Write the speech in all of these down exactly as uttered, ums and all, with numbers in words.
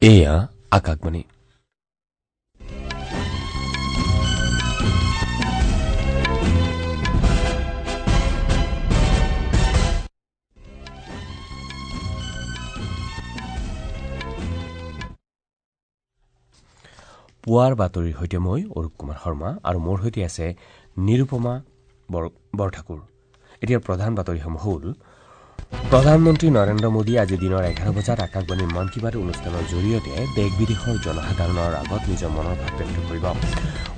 এয়া আকাশবাণী। পুৱাৰ বাতৰিৰ সৈতে মই অৰূপ কুমাৰ শৰ্মা আৰু মোৰ সৈতে আছে নিৰুপমা বৰঠাকুৰ। এতিয়াৰ প্ৰধান বাতৰিসমূহ হ'ল: প্ৰধানমন্ত্ৰী নৰেন্দ্ৰ মোদীয়ে আজি দিনৰ এঘাৰ বজাত আকাশবাণীৰ মন কী বাত অনুষ্ঠানৰ জৰিয়তে দেশ বিদেশৰ জনসাধাৰণৰ আগত নিজৰ মনৰ ভাৱ ব্যক্ত কৰিব।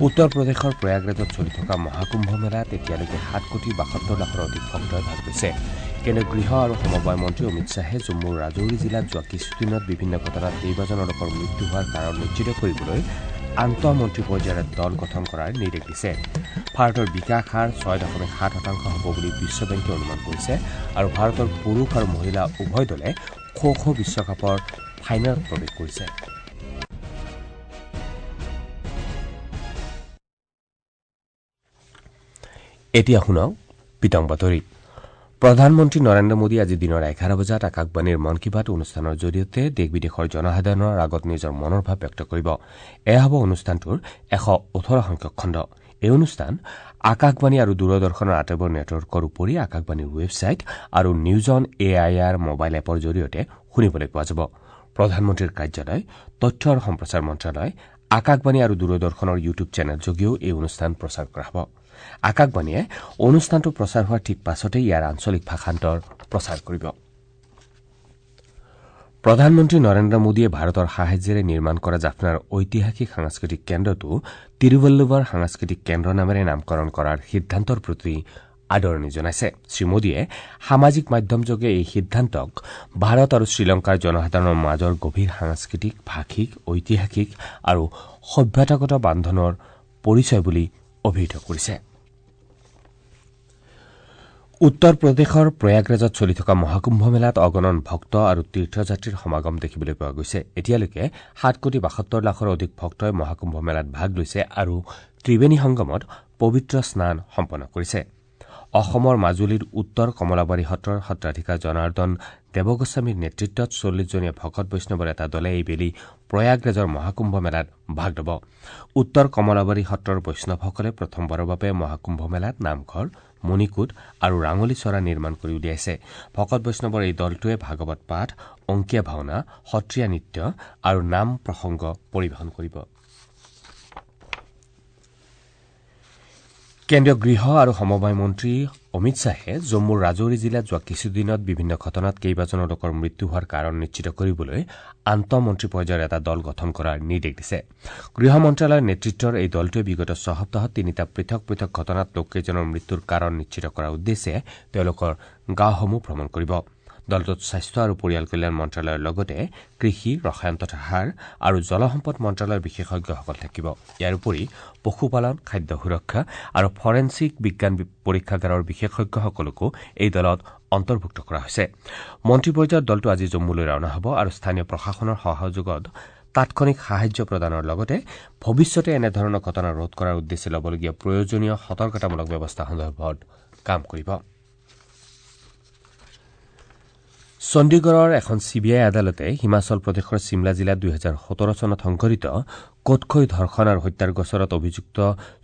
উত্তৰ প্ৰদেশৰ প্ৰয়াগৰাজত চলি থকা মহাকুম্ভ মেলাত এতিয়ালৈকে সাত কোটি বাসত্তৰ লাখৰ অধিক ভক্তই ভাগ লৈছে। কেন্দ্ৰীয় গৃহ আৰু সমবায় মন্ত্ৰী অমিত শ্বাহে জম্মুৰ ৰাজৌৰী জিলাত যোৱা কিছুদিনত বিভিন্ন ঘটনাত কেইবাজনো লোকৰ মৃত্যু হোৱাৰ কাৰণ নিশ্চিত কৰিবলৈ আন্তঃমন্ত্ৰী পৰ্যায়ৰ দল গঠন কৰাৰ নিৰ্দেশ দিছে। ভাৰতৰ বিকাশ হাৰ ছয় দশমিক সাত শতাংশ হ'ব বুলি বিশ্ব বেংকে অনুমান কৰিছে আৰু ভাৰতৰ পুৰুষ আৰু মহিলা উভয় দলে খো খো বিশ্বকাপৰ ফাইনেলত প্ৰৱেশ কৰিছে। এতিয়া শুনক বিতং বাতৰি। প্ৰধানমন্ত্ৰী নৰেন্দ্ৰ মোদীয়ে আজি দিনৰ এঘাৰ বজাত আকাশবাণীৰ মন কী বাত অনুষ্ঠানৰ জৰিয়তে দেশ বিদেশৰ জনসাধাৰণৰ আগত নিজৰ মনৰ ভাৱ ব্যক্ত কৰিব। এয়া হ'ব অনুষ্ঠানটোৰ এশ ওঠৰ সংখ্যক খণ্ড। এই অনুষ্ঠান আকাশবাণী আৰু দূৰদৰ্শনৰ আটাইবোৰ নেটৱৰ্কৰ উপৰি আকাশবাণীৰ ৱেবছাইট আৰু news on A I R mobile এপৰ জৰিয়তে শুনিবলৈ পোৱা যাব। প্ৰধানমন্ত্ৰীৰ কাৰ্যালয়, তথ্য আৰু সম্প্ৰচাৰ মন্ত্ৰালয়, আকাশবাণী আৰু দূৰদৰ্শনৰ ইউটিউব চেনেলযোগেও এই অনুষ্ঠান প্ৰচাৰ কৰা হ'ব। আকাশবাণীয়ে অনুষ্ঠানটো প্ৰচাৰ হোৱাৰ ঠিক পাছতে ইয়াৰ আঞ্চলিক ভাষান্তৰ প্ৰচাৰ কৰিব। প্ৰধানমন্ত্ৰী নৰেন্দ্ৰ মোদীয়ে ভাৰতৰ সাহায্যেৰে নিৰ্মাণ কৰা জাফনাৰ ঐতিহাসিক সাংস্কৃতিক কেন্দ্ৰটো তিৰুৱল্লুৱাৰ সাংস্কৃতিক কেন্দ্ৰ নামেৰে নামকৰণ কৰাৰ সিদ্ধান্তৰ প্ৰতি আদৰণি জনাইছে। শ্ৰীমোদীয়ে সামাজিক মাধ্যমযোগে এই সিদ্ধান্তক ভাৰত আৰু শ্ৰীলংকাৰ জনসাধাৰণৰ মাজৰ গভীৰ সাংস্কৃতিক, ভাষিক, ঐতিহাসিক আৰু সভ্যতাগত বান্ধোনৰ পৰিচয় বুলি অভিহিত কৰিছে। উত্তৰ প্ৰদেশৰ প্ৰয়াগৰাজত চলি থকা মহাকুম্ভ মেলাত অগণন ভক্ত আৰু তীৰ্থযাত্ৰীৰ সমাগম দেখিবলৈ পোৱা গৈছে। এতিয়ালৈকে সাত কোটি বাসত্তৰ লাখৰ অধিক ভক্তই মহাকুম্ভ মেলাত ভাগ লৈছে আৰু ত্ৰিবেণী সংগমত পবিত্ৰ স্নান সম্পন্ন কৰিছে। অসমৰ মাজুলীৰ উত্তৰ কমলাবাৰী সত্ৰৰ সত্ৰাধিকাৰ জনাৰ্দন দেৱগোস্বামীৰ নেতৃত্বত চল্লিছজনীয়া ভকত বৈষ্ণৱৰ এটা দলে এইবেলি প্ৰয়াগৰাজৰ মহাকুম্ভ মেলাত ভাগ ল'ব। উত্তৰ কমলাবাৰী সত্ৰৰ বৈষ্ণৱসকলে প্ৰথমবাৰৰ বাবে মহাকুম্ভ মেলাত নামঘৰ, মণিকূট আৰু ৰাঙলী চৰা নিৰ্মাণ কৰি উলিয়াইছে। ভকত বৈষ্ণৱৰ এই দলটোৱে ভাগৱত পাঠ, অংকীয়া ভাওনা, সত্ৰীয়া নৃত্য আৰু নাম প্ৰসংগ পৰিৱেশন কৰিব। কেন্দ্ৰীয় গৃহ আৰু সমবায় মন্ত্ৰী অমিত শ্বাহে জম্মুৰ ৰাজৌৰী জিলাত যোৱা কিছুদিনত বিভিন্ন ঘটনাত কেইবাজনো লোকৰ মৃত্যু হোৱাৰ কাৰণ নিশ্চিত কৰিবলৈ আন্তঃমন্ত্ৰী পৰ্যায়ৰ এটা দল গঠন কৰাৰ নিৰ্দেশ দিছে। গৃহ মন্ত্ৰালয়ৰ নেতৃত্বৰ এই দলটোৱে বিগত ছসপ্তাহত তিনিটা পৃথক পৃথক ঘটনাত লোককেইজনৰ মৃত্যুৰ কাৰণ নিশ্চিত কৰাৰ উদ্দেশ্যে তেওঁলোকৰ গাঁওসমূহ ভ্ৰমণ কৰিব। দলটোত স্বাস্থ্য আৰু পৰিয়াল কল্যাণ মন্ত্ৰালয়ৰ লগতে কৃষি, ৰসায়ন তথা সাৰ আৰু জলসম্পদ মন্ত্ৰালয়ৰ বিশেষজ্ঞসকল থাকিব। ইয়াৰ উপৰি পশুপালন, খাদ্য সুৰক্ষা আৰু ফৰেনছিক বিজ্ঞান পৰীক্ষাগাৰৰ বিশেষজ্ঞসকলকো এই দলত অন্তৰ্ভুক্ত কৰা হৈছে। মন্ত্ৰী পৰ্যায়ৰ দলটো আজি জম্মুলৈ ৰাওনা হ'ব আৰু স্থানীয় প্ৰশাসনৰ সহযোগত তাৎক্ষণিক সাহায্য প্ৰদানৰ লগতে ভৱিষ্যতে এনেধৰণৰ ঘটনা ৰোধ কৰাৰ উদ্দেশ্যে ল'বলগীয়া প্ৰয়োজনীয় সতৰ্কতামূলক ব্যৱস্থা সন্দৰ্ভত কাম কৰিব। চণ্ডীগড়ৰ এখন চি বি আই আদালতে হিমাচল প্ৰদেশৰ চিমলা জিলাত দুহেজাৰ সোতৰ চনত সংঘটিত কোটখৈ ধৰ্ষণ আৰু হত্যাৰ গোচৰত অভিযুক্ত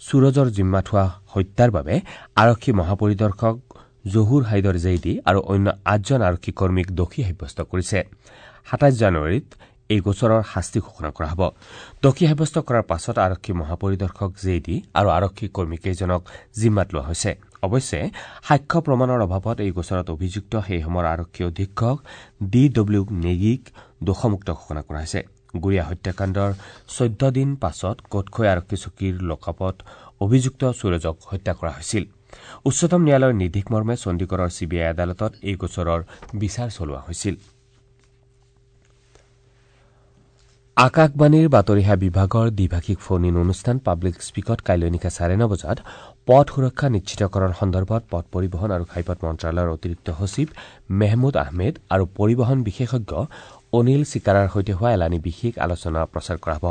সুৰজৰ জিম্মাত হোৱা হত্যাৰ বাবে আৰক্ষী মহাপৰিদৰ্শক জহুৰ হাইদৰ জেইদি আৰু অন্য আঠজন আৰক্ষী কৰ্মীক দোষী সাব্যস্ত কৰিছে। সাতাইছ জানুৱাৰীত এই গোচৰৰ শাস্তি ঘোষণা কৰা হ'ব। দোষী সাব্যস্ত কৰাৰ পাছত আৰক্ষী মহাপৰিদৰ্শক জেইদি আৰু আৰক্ষী কৰ্মীকেইজনক জিম্মাত লোৱা হৈছে। অৱশ্যে সাক্ষ্য প্ৰমাণৰ অভাৱত এই গোচৰত অভিযুক্ত সেই সময়ৰ আৰক্ষী অধীক্ষক ডি ডব্লিউ নেগীক দোষমুক্ত ঘোষণা কৰা হৈছে। গুড়িয়া হত্যাকাণ্ডৰ চৈধ্য দিন পাছত কোটখৈ আৰক্ষী চকীৰ লকআপত অভিযুক্ত সুৰজক হত্যা কৰা হৈছিল। উচ্চতম ন্যায়ালয়ৰ নিৰ্দেশ মৰ্মে চণ্ডীগড়ৰ চি বি আই আদালতত এই গোচৰৰ বিচাৰ চলোৱা হৈছিল। আকাশবাণীৰ বাতৰিসেৱা বিভাগৰ দ্বিভাষিক ফোন ইন অনুষ্ঠান পাব্লিক স্পীকত কাইলৈ নিশা চাৰে ন বজাত পথ সুৰক্ষা নিশ্চিতকৰণ সন্দৰ্ভত পথ পৰিবহণ আৰু ঘাইপথ মন্ত্ৰালয়ৰ অতিৰিক্ত সচিব মেহমুদ আহমেদ আৰু পৰিবহণ বিশেষজ্ঞ অনিল চিকাৰাৰ সৈতে হোৱা এলানি বিশেষ আলোচনা প্ৰচাৰ কৰা হ'ব।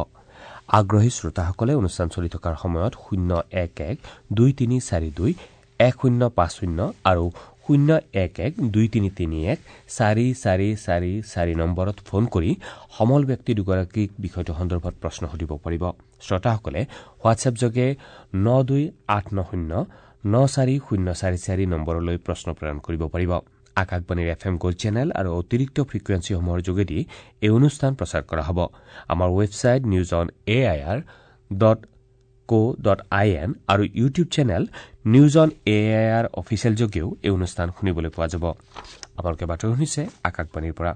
আগ্ৰহী শ্ৰোতাসকলে অনুষ্ঠান চলি থকাৰ সময়ত শূন্য এক এক দুই তিনি চাৰি দুই এক শূন্য পাঁচ শূন্য আৰু শূন্য এক এক দুই তিনি তিনি এক চাৰি চাৰি চাৰি চাৰি নম্বৰত ফোন কৰি সমল ব্যক্তি দুগৰাকীক বিষয়টো সন্দৰ্ভত প্ৰশ্ন সুধিব পাৰিব। শ্ৰোতাসকলে হোৱাটছএপ যোগে ন দুই আঠ ন শূন্য ন চাৰি শূন্য চাৰি চাৰি নম্বৰলৈ প্ৰশ্ন প্ৰেৰণ কৰিব পাৰিব। আকাশবাণীৰ এফ এম গ'ল্ড চেনেল আৰু অতিৰিক্ত ফ্ৰিকুৱেঞ্চিসমূহৰ যোগেদি এই অনুষ্ঠান প্ৰচাৰ কৰা হ'ব। আমাৰ website news on A I R dot co dot I N আৰু YouTube channel news on A I R official যোগেও এই অনুষ্ঠান শুনিবলৈ পোৱা যাব। আপোনালোকে বাতৰি শুনিছে আকাশবাণীৰ পৰা।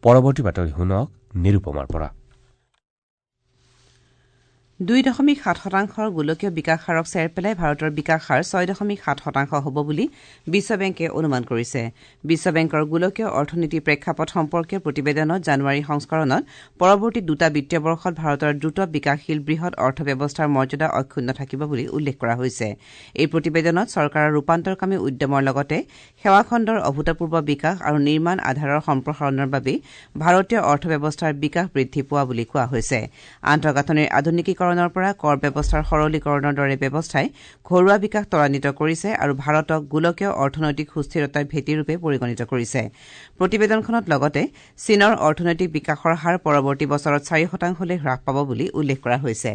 পৰৱৰ্তী বাতৰি শুনক নিৰুপমাৰ পৰা। দুই দশমিক সাত শতাংশৰ গোলকীয় বিকাশ হাৰক চেৰ পেলাই ভাৰতৰ বিকাশ হাৰ ছয় দশমিক সাত শতাংশ হ'ব বুলি বিশ্ব বেংকে অনুমান কৰিছে। বিশ্ব বেংকৰ গোলকীয় অৰ্থনীতি প্ৰেক্ষাপট সম্পৰ্কীয় প্ৰতিবেদনত জানুৱাৰী সংস্কৰণত পৰৱৰ্তী দুটা বিত্তীয় বৰ্ষত ভাৰতৰ দ্ৰুত বিকাশশীল বৃহৎ অৰ্থব্যৱস্থাৰ মৰ্যাদা অক্ষুণ্ণ থাকিব বুলি উল্লেখ কৰা হৈছে। এই প্ৰতিবেদনত চৰকাৰৰ ৰূপান্তৰকামী উদ্যমৰ লগতে সেৱা খণ্ডৰ অভূতপূৰ্ব বিকাশ আৰু নিৰ্মাণ আধাৰৰ সম্প্ৰসাৰণৰ বাবে ভাৰতীয় অৰ্থব্যৱস্থাৰ বিকাশ বৃদ্ধি পোৱা বুলি কোৱা হৈছে। আন্তঃগাঁথনিৰ আধুনিকীকৰণ পৰা কৰ ব্যৱস্থাৰ সৰলীকৰণৰ দৰে ব্যৱস্থাই ঘৰুৱা বিকাশ ত্বৰান্বিত কৰিছে আৰু ভাৰতক গোলকীয় অৰ্থনৈতিক সুস্থিৰতাৰ ভেটিৰূপে পৰিগণিত কৰিছে। প্ৰতিবেদনখনত লগতে চীনৰ অৰ্থনৈতিক বিকাশৰ হাৰ পৰৱৰ্তী বছৰত চাৰি শতাংশলৈ হ্ৰাস পাব বুলি উল্লেখ কৰা হৈছে।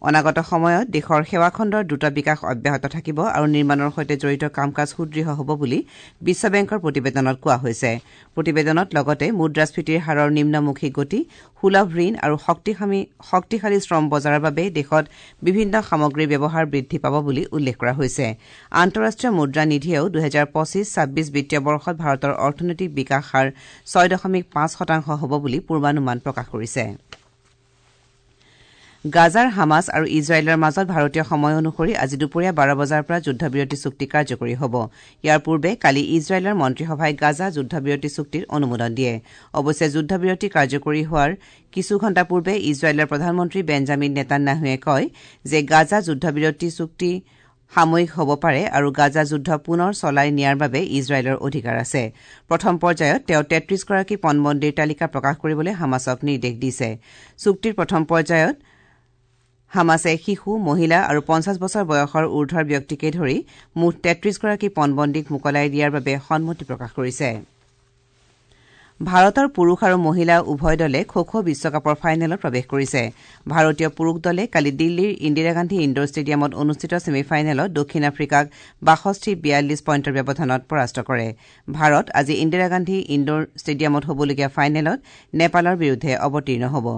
অনাগত সময়ত দেশৰ সেৱা খণ্ডৰ দ্ৰুত বিকাশ অব্যাহত থাকিব আৰু নিৰ্মাণৰ সৈতে জড়িত কাম কাজ সুদৃঢ় হ'ব বুলি বিশ্ব বেংকৰ প্ৰতিবেদনত কোৱা হৈছে। প্ৰতিবেদনত লগতে মুদ্ৰাস্ফীতিৰ হাৰৰ নিম্নমুখী গতি, সুলভ ঋণ আৰু শক্তিশালী শ্ৰম বজাৰৰ বাবে দেশত বিভিন্ন সামগ্ৰীৰ ব্যৱহাৰ বৃদ্ধি পাব বুলি উল্লেখ কৰা হৈছে। আন্তঃৰাষ্ট্ৰীয় মুদ্ৰা নিধিয়েও দুহেজাৰ পঁচিছ ছাব্বিছ বিত্তীয় বৰ্ষত ভাৰতৰ অৰ্থনৈতিক বিকাশ হাৰ ছয় দশমিক পাঁচ শতাংশ হ'ব বুলি পূৰ্বানুমান প্ৰকাশ কৰিছে। গাজাৰ হামাছ আৰু ইজৰাইলৰ মাজত ভাৰতীয় সময় অনুসৰি আজি দুপৰীয়া বাৰ বজাৰ পৰা যুদ্ধবিৰতি চুক্তি কাৰ্যকৰী হ'ব। ইয়াৰ পূৰ্বে কালি ইজৰাইলৰ মন্ত্ৰীসভাই গাজা যুদ্ধবিৰতি চুক্তিৰ অনুমোদন দিয়ে। অৱশ্যে যুদ্ধবিৰতি কাৰ্যকৰী হোৱাৰ কিছু ঘণ্টা পূৰ্বে ইজৰাইলৰ প্ৰধানমন্ত্ৰী বেঞ্জামিন নেতান্যাহুৱে কয় যে গাজা যুদ্ধবিৰতি চুক্তি সাময়িক হ'ব পাৰে আৰু গাজা যুদ্ধ পুনৰ চলাই নিয়াৰ বাবে ইজৰাইলৰ অধিকাৰ আছে। প্ৰথম পৰ্যায়ত তেওঁ তেত্ৰিশগৰাকী পণবন্দীৰ তালিকা প্ৰকাশ কৰিবলৈ হামাছক নিৰ্দেশ দিছে। চুক্তিৰ প্ৰথম পৰ্যায়ত হামাছে শিশু, মহিলা আৰু পঞ্চাছ বছৰ বয়সৰ ঊৰ্ধৰ ব্যক্তিকে ধৰি মুঠ তেত্ৰিশগৰাকী পণবন্দীক মোকলাই দিয়াৰ বাবে সন্মতি প্ৰকাশ কৰিছে। ভাৰতৰ পুৰুষ আৰু মহিলা উভয় দলে খো খো বিশ্বকাপৰ ফাইনেলত প্ৰৱেশ কৰিছে। ভাৰতীয় পুৰুষ দলে কালি দিল্লীৰ ইন্দিৰা গান্ধী ইণ্ডোৰ ষ্টেডিয়ামত অনুষ্ঠিত ছেমিফাইনেলত দক্ষিণ আফ্ৰিকাক বাষষ্ঠি বিয়াল্লিছ পইণ্টৰ ব্যৱধানত পৰাস্ত কৰে। ভাৰত আজি ইন্দিৰা গান্ধী ইণ্ডোৰ ষ্টেডিয়ামত হ'বলগীয়া ফাইনেলত নেপালৰ বিৰুদ্ধে অৱতীৰ্ণ হ'ব।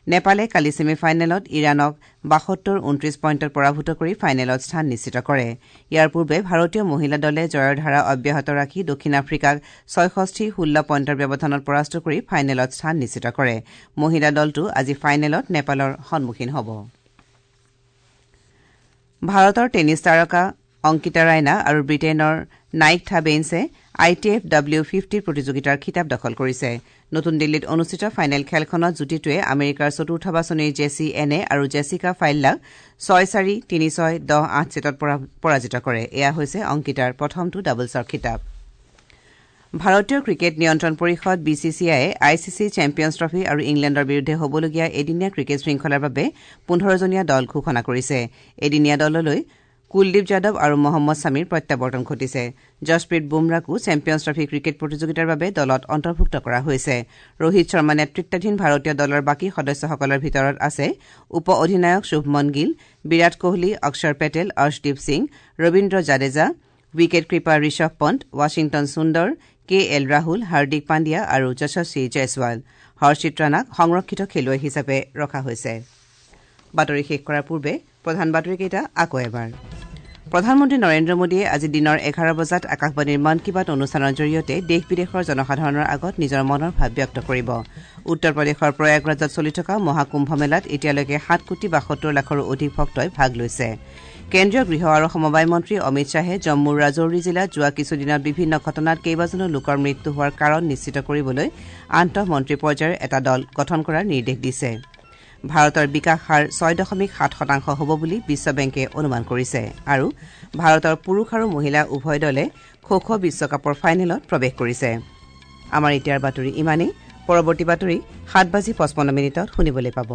নেপালে কালি ছেমিফাইনেলত ইৰাণক বাসত্তৰ ঊনত্ৰিশ পইণ্টত পৰাভূত কৰি ফাইনেলত স্থান নিশ্চিত কৰে। ইয়াৰ পূৰ্বে ভাৰতীয় মহিলা দলে জয়ৰ ধাৰা অব্যাহত ৰাখি দক্ষিণ আফ্ৰিকাক ছয়ষষ্ঠি ষোল্ল পইণ্টৰ ব্যৱধানত পৰাস্ত কৰি ফাইনেলত স্থান নিশ্চিত কৰে। মহিলা দলটো আজি ফাইনেলত নেপালৰ সন্মুখীন হ'ব। ভাৰতৰ টেনিছ তাৰকা অংকিতা ৰাইনা আৰু ব্ৰিটেইনৰ নাইকথা বেইনছে I T F W fifty প্ৰতিযোগিতাৰ খিতাপ দখল কৰিছে। নতুন দিল্লীত অনুষ্ঠিত ফাইনেল খেলখনত যুটিটোৱে আমেৰিকাৰ চতুৰ্থ বাছনিৰ জেছি এনে আৰু জেছিকা ফাইল্লাক ছয় চাৰি তিনি ছয় দহ আঠ ছেটত পৰাজিত কৰে। এয়া হৈছে অংকিতাৰ প্ৰথমটো ডাবলছৰ খিতাপ। ভাৰতীয় ক্ৰিকেট নিয়ন্ত্ৰণ পৰিষদ বি চি চি আইয়ে I C C champions trophy আৰু ইংলেণ্ডৰ বিৰুদ্ধে হ'বলগীয়া এদিনীয়া ক্ৰিকেট শৃংখলাৰ বাবে পোন্ধৰজনীয়া দল ঘোষণা কৰিছে। এদিনীয়া দললৈ কুলদীপ যাদৱ আৰু মহম্মদ ছামীৰ প্ৰত্যাৱৰ্তন ঘটিছে। যশপ্ৰীত বুমৰাকো চেম্পিয়নছ ট্ৰফী ক্ৰিকেট প্ৰতিযোগিতাৰ বাবে দলত অন্তৰ্ভুক্ত কৰা হৈছে। ৰোহিত শৰ্মা নেতৃত্বাধীন ভাৰতীয় দলৰ বাকী সদস্যসকলৰ ভিতৰত আছে উপ অধিনায়ক Shubman Gill, Virat Kohli, Axar Patel, Arshdeep Singh, Ravindra Jadeja, wicket keeper Rishabh Pant, Washington Sundar, K L Rahul, Hardik Pandya আৰু যশস্বী জয়ছৱাল। হৰ্ষিত ৰাণাক সংৰক্ষিত খেলুৱৈ হিচাপে ৰখা হৈছে। বাতৰি শেষ কৰাৰ পূৰ্বে প্ৰধান বাতৰিকেইটা আকৌ এবাৰ। প্ৰধানমন্ত্ৰী নৰেন্দ্ৰ মোদীয়ে আজি দিনৰ এঘাৰ বজাত আকাশবাণীৰ মন কী বাত অনুষ্ঠানৰ জৰিয়তে দেশ বিদেশৰ জনসাধাৰণৰ আগত নিজৰ মনৰ ভাৱ ব্যক্ত কৰিব। উত্তৰ প্ৰদেশৰ প্ৰয়াগৰাজত চলি থকা মহাকুম্ভ মেলাত এতিয়ালৈকে সাত কোটি বাসত্তৰ লাখৰো অধিক ভক্তই ভাগ লৈছে। কেন্দ্ৰীয় গৃহ আৰু সমবায় মন্ত্ৰী অমিত শ্বাহে জম্মুৰ ৰাজৌৰি জিলাত যোৱা কিছুদিনত বিভিন্ন ঘটনাত কেইবাজনো লোকৰ মৃত্যু হোৱাৰ কাৰণ নিশ্চিত কৰিবলৈ আন্তঃমন্ত্ৰী পৰ্যায়ৰ এটা দল গঠন কৰাৰ নিৰ্দেশ দিছে। ভাৰতৰ বিকাশ হাৰ ছয় দশমিক সাত শতাংশ হ'ব বুলি বিশ্ব বেংকে অনুমান কৰিছে। আৰু ভাৰতৰ পুৰুষ আৰু মহিলা উভয় দলে খো খো বিশ্বকাপৰ ফাইনেলত প্ৰৱেশ কৰিছে। আমাৰ এতিয়াৰ বাতৰি ইমানেই। পৰৱৰ্তী বাতৰি সাত বাজি পঁচপন্ন মিনিটত শুনিবলৈ পাব।